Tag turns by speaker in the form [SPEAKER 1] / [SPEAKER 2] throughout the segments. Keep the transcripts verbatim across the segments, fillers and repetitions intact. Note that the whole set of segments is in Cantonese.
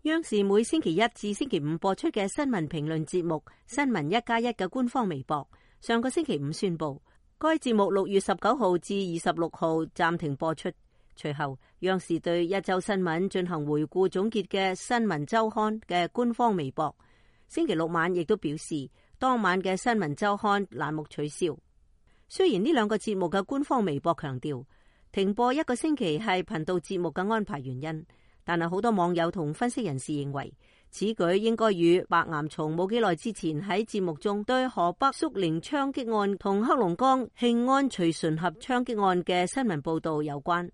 [SPEAKER 1] 央視每星期一至星期五播出嘅新聞評論節目《新聞一加一》嘅官方微博，上個星期五宣布，該節目六月十九號至二十六號暫停播出。隨後，央視對一周新聞進行回顧總結嘅《新聞週刊》嘅官方微博，星期六晚亦都表示，當晚嘅《新聞週刊》欄目取消。雖然呢兩個節目嘅官方微博強調停播一個星期係頻道節目嘅安排原因，但係好多網友同分析人士認為，此舉應該與白岩松冇幾耐之前喺節目中對河北肅寧槍擊案同黑龍江慶安徐順合槍擊案嘅新聞報道有關。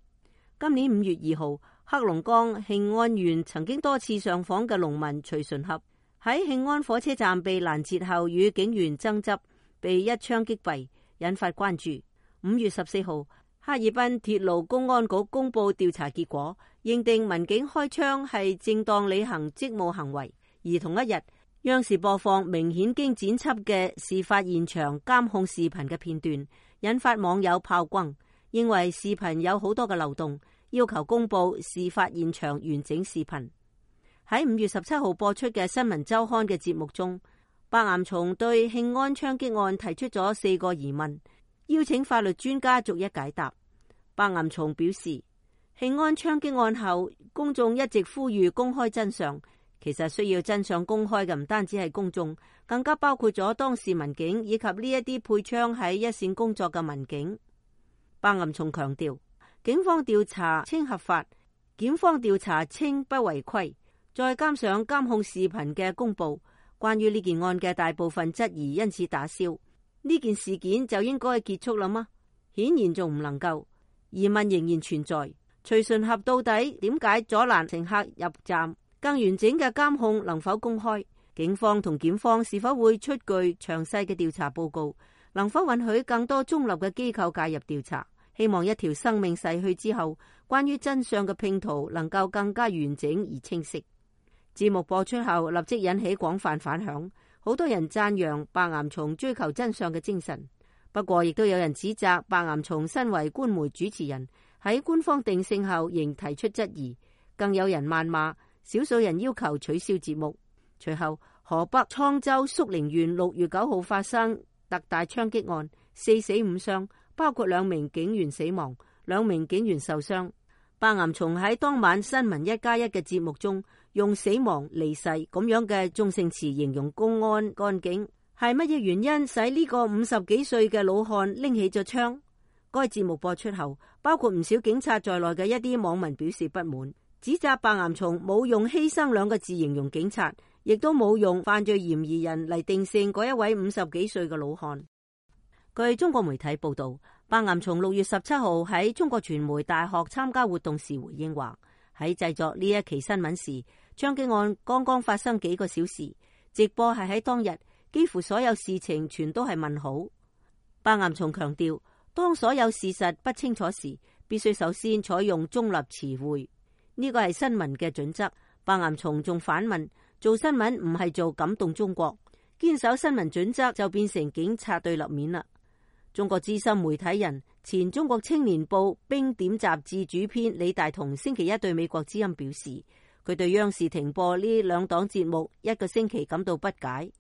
[SPEAKER 1] 今年五月二號，黑龍江慶安縣曾經多次上訪嘅農民徐順合喺慶安火車站被攔截後與警員爭執，被一槍擊斃，引發關注。五月十四號，哈爾濱鐵路公安局公布調查結果，認定民警開槍係正當履行職務行為。而同一日，央視播放明顯經剪輯嘅事發現場監控視頻嘅片段，引發網友炮轟，認為視頻有好多嘅漏洞，要求公布事發現場完整視頻。喺五月十七號播出嘅新聞週刊嘅節目中，白岩松對慶安槍擊案提出咗四個疑問，邀請法律專家逐一解答。白岩松表示，慶安槍擊案後，公眾一直呼籲公開真相。其實需要真相公開嘅唔單止係公眾，更加包括咗當事民警以及呢一啲配槍喺一線工作嘅民警。白岩松強調，警方調查稱合法，檢方調查稱不違規，再加上監控視頻嘅公佈，關於呢件案嘅大部分質疑因此打消。呢件事件就應該結束啦嗎？顯然仲唔能夠。疑問仍然存在，徐順合到底點解阻攔乘客入站？更完整嘅監控能否公開？警方同檢方是否會出具詳細嘅調查報告？能否允許更多中立嘅機構介入調查？希望一條生命逝去之後，關於真相嘅拼圖能夠更加完整而清晰。節目播出後立即引起廣泛反響，好多人讚揚白岩松追求真相嘅精神。不過，亦都有人指責白岩松身為官媒主持人，喺官方定性後仍提出質疑，更有人謾罵，少數人要求取消節目。隨後，河北滄州肅寧縣六月九號發生特大槍擊案，四死五傷，包括兩名警員死亡，兩名警員受傷。白岩松喺當晚新聞一加一嘅節目中，用死亡、離世咁樣嘅中性詞形容公安幹警。係乜嘢原因使呢個五十幾歲嘅老漢拎起咗槍？該節目播出後，包括唔少警察在內嘅一啲網民表示不滿，指責白岩松冇用犧牲兩個字形容警察，亦都冇用犯罪嫌疑人嚟定性嗰一位五十幾歲嘅老漢。據中國媒體報道，白岩松六月十七號喺中國傳媒大學參加活動時回應話，喺製作呢一期新聞時，槍擊案剛剛發生幾個小時，直播係喺當日。幾乎所有事情全都係問號。白岩松強調，當所有事實不清楚時，必須首先採用中立詞彙，呢個係新聞嘅準則。白岩松仲反問，做新聞唔係做感動中國，堅守新聞準則就變成警察對立面啦。中國資深媒體人、前中國青年報冰點雜誌主編李大同星期一對美國之音表示，佢對央視停播呢兩檔節目一個星期感到不解，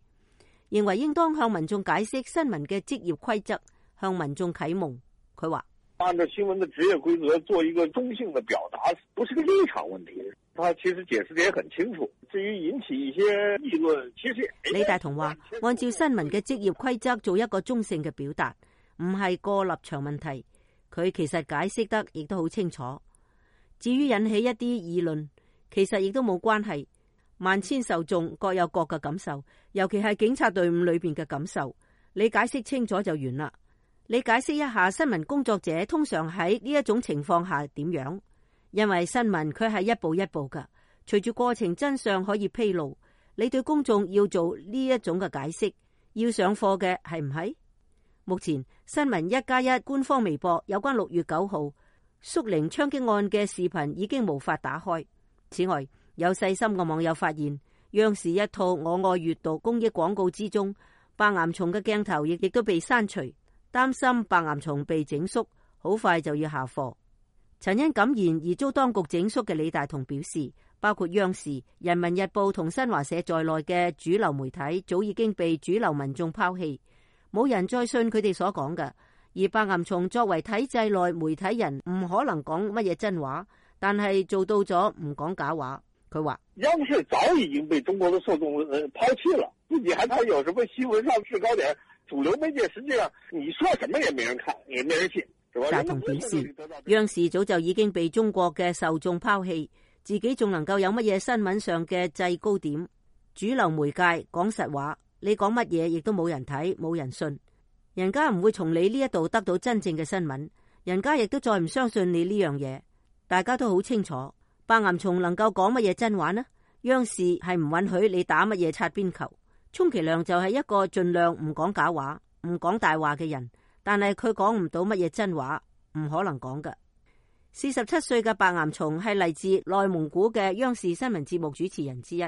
[SPEAKER 1] 認為應當向民眾解釋新聞嘅職業規則，向民眾啟蒙。佢話：
[SPEAKER 2] 按照新聞的職業規則做一個中性的表達，不是個立場問題。他其實解釋得也很清楚。至於引起一些議論，其實
[SPEAKER 1] 李大同話：按照新聞嘅職業規則做一個中性嘅表達，唔係個立場問題。佢其實解釋得亦都好清楚。至於引起一啲議論，其實亦都冇關係。萬千受眾各有各嘅感受，尤其係警察隊伍裏邊嘅感受。你解釋清楚就完啦。你解釋一下新聞工作者通常喺呢一種情況下點樣？因為新聞佢係一步一步噶，隨住過程真相可以披露，你對公眾要做呢一種嘅解釋，要上課嘅係唔係？目前新聞一加一官方微博有關六月九號肅寧槍擊案嘅視頻已經無法打開。此外，有細心嘅網友發現，央視一套我愛閱讀公益廣告之中，白岩松嘅鏡頭亦亦都被刪除，擔心白岩松被整肅，好快就要下課。曾因感言而遭當局整肅嘅李大同表示，包括央視、人民日報同新華社在內嘅主流媒體早已經被主流民眾拋棄，冇人再信佢哋所講嘅。而白岩松作為體制內媒體人，唔可能講乜嘢真話，但係做到咗唔講假話。佢話
[SPEAKER 2] 央視早已經被中國的受眾呃拋棄了，自己還談有什麼新聞上制高點，主流媒介實際上你說什麼也沒人看，也沒人信，是吧？大同表示，
[SPEAKER 1] 央視早就已經被中國嘅受眾拋棄。自己仲能夠有乜嘢新聞上嘅制高點？主流媒介講實話，你講乜嘢亦都冇人睇，冇人信。人家唔會從你呢一度得到真正嘅新聞，人家亦都再唔相信你呢樣嘢。大家都好清楚，白岩松能夠講乜嘢真話呢？央視係唔允許你打乜嘢擦邊球。充其量就係一個盡量唔講假話、唔講大話嘅人，但係佢講唔到乜嘢真話，唔可能講㗎。四十七歲嘅白岩松係嚟自內蒙古嘅央視新聞節目主持人之一，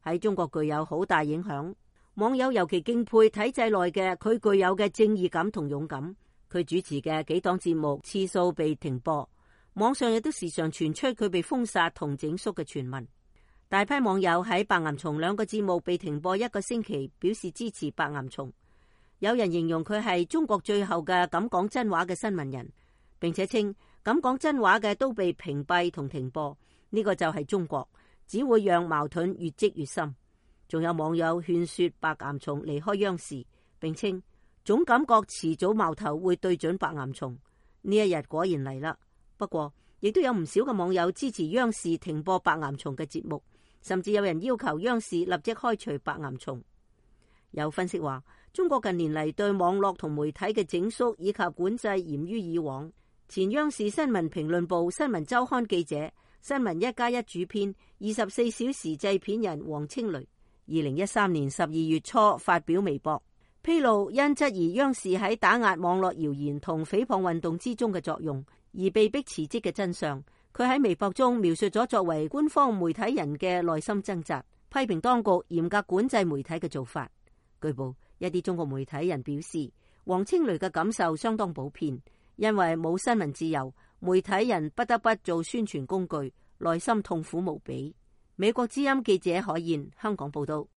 [SPEAKER 1] 喺中國具有好大影響。網友尤其敬佩體制內嘅佢具有嘅正義感同勇敢。佢主持嘅幾檔節目次數被停播，網上亦都時常傳出佢被封殺同整肅嘅傳聞。大批網友喺白岩松兩個節目被停播一個星期表示支持白岩松。有人形容佢係中國最後嘅敢講真話嘅新聞人，並且稱敢講真話嘅都被屏蔽同停播，呢個就係中國，只會讓矛盾越積越深。仲有網友勸說白岩松離開央視，並稱總感覺遲早矛頭會對準白岩松。呢一日果然嚟啦。不過亦都有唔少嘅網友支持央視停播白岩松嘅節目，甚至有人要求央視立即開除白岩松。有分析話，中國近年嚟對網絡同媒體嘅整肅以及管制嚴於以往。前央視新聞評論部新聞週刊記者、新聞一加一主編、二十四小時製片人王清雷，二零一三年十二月初發表微博，披露因質疑央視喺打壓網絡謠言同誹謗運動之中嘅作用而被迫辭職嘅真相。佢喺微博中描述咗作為官方媒體人嘅內心掙扎，批評當局嚴格管制媒體嘅做法。據報，一啲中國媒體人表示，王清雷嘅感受相當普遍。因為冇新聞自由，媒體人不得不做宣傳工具，內心痛苦無比。美國之音記者海燕香港報道。